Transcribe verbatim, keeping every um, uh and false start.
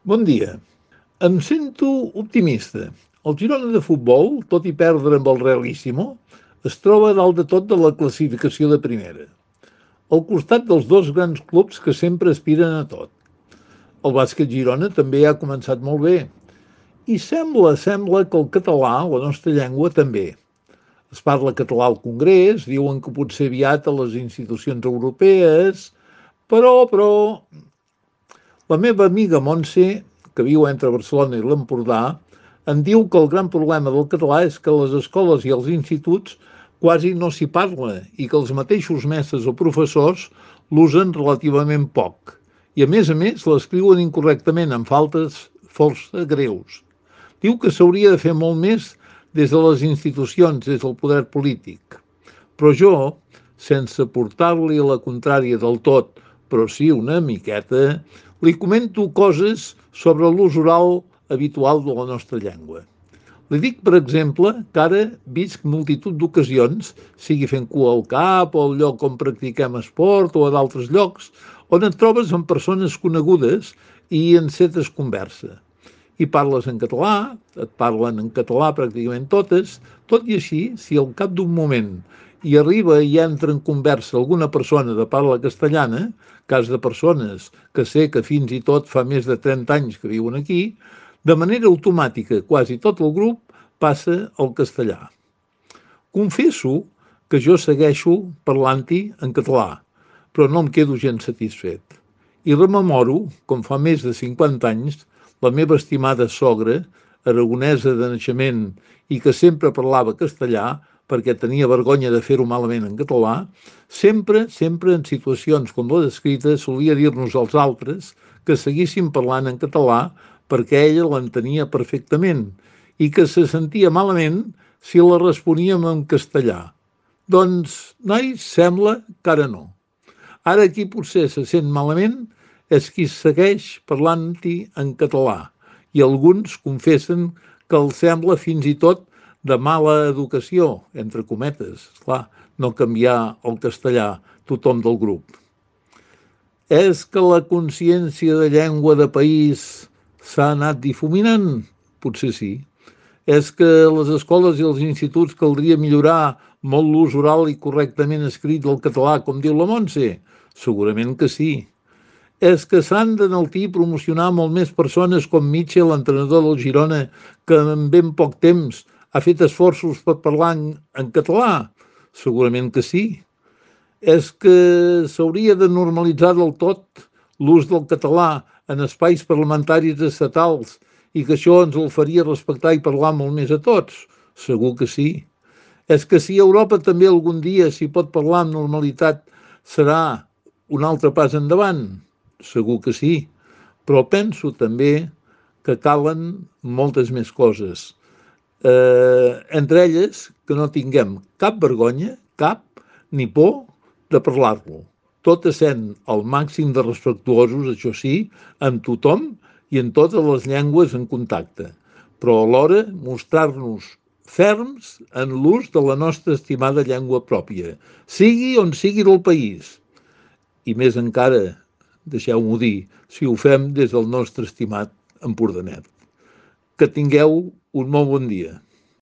Bon dia. Em sento optimista. El Girona de futbol, tot i perdre amb el Realíssimo, es troba dalt de tot de la classificació de primera, al costat dels dos grans clubs que sempre aspiren a tot. El bàsquet Girona també ha començat molt bé. I sembla, sembla que el català, la nostra llengua, també. Es parla català al Congrés, diuen que potser aviat a les institucions europees, però, però, la meva amiga Montse, que viu entre Barcelona i l'Empordà, em diu que el gran problema del català és que a les escoles i als instituts quasi no s'hi parla i que els mateixos mestres o professors l'usen relativament poc. I a més a més l'escriuen incorrectament amb faltes força greus. Diu que s'hauria de fer molt més des de les institucions, des del poder polític. Però jo, sense portar-li la contrària del tot, però sí una miqueta, li comento coses sobre l'ús oral habitual de la nostra llengua. Li dic, per exemple, que ara visc multitud d'ocasions, sigui fent cua al cap o al lloc on practiquem esport o a d'altres llocs, on et trobes amb persones conegudes i encetes conversa. I parles en català, et parlen en català pràcticament totes, tot i així, si al cap d'un moment hi arriba i entra en conversa alguna persona de parla castellana, cas de persones que sé que fins i tot fa més de trenta anys que viuen aquí, de manera automàtica quasi tot el grup passa al castellà. Confesso que jo segueixo parlant-hi en català, però no em quedo gens satisfet. I rememoro, com fa més de cinquanta anys, la meva estimada sogra, aragonesa de naixement i que sempre parlava castellà perquè tenia vergonya de fer-ho malament en català, sempre, sempre en situacions com la descrita solia dir-nos als altres que seguíssim parlant en català perquè ella l'entenia perfectament i que se sentia malament si la responíem en castellà. Doncs, nois, sembla que ara no. Ara qui potser se sent malament és qui segueix parlant-hi en català i alguns confessen que els sembla fins i tot de mala educació, entre cometes, clar, no canviar el castellà tothom del grup. És que la consciència de llengua de país s'ha anat difuminant? Potser sí. És que a les escoles i als instituts caldria millorar molt l'ús oral i correctament escrit del català, com diu la Montse? Segurament que sí. És que s'han d'enaltir i promocionar molt més persones com Mitchell, l'entrenador del Girona, que en ben poc temps ha fet esforços per parlar en, en català? Segurament que sí. És que s'hauria de normalitzar del tot l'ús del català en espais parlamentaris estatals i que això ens el faria respectar i parlar molt més a tots? Segur que sí. És que si a Europa també algun dia s'hi pot parlar amb normalitat serà un altre pas endavant? Segur que sí, però penso també que calen moltes més coses. Eh, entre elles, que no tinguem cap vergonya, cap, ni por de parlar-lo. Tot essent al màxim de respectuosos, això sí, amb tothom i en totes les llengües en contacte, però alhora mostrar-nos ferms en l'ús de la nostra estimada llengua pròpia, sigui on sigui del país. I més encara, deixeu-m'ho dir, si ho fem des del nostre estimat Empordanet. Que tingueu un molt bon dia.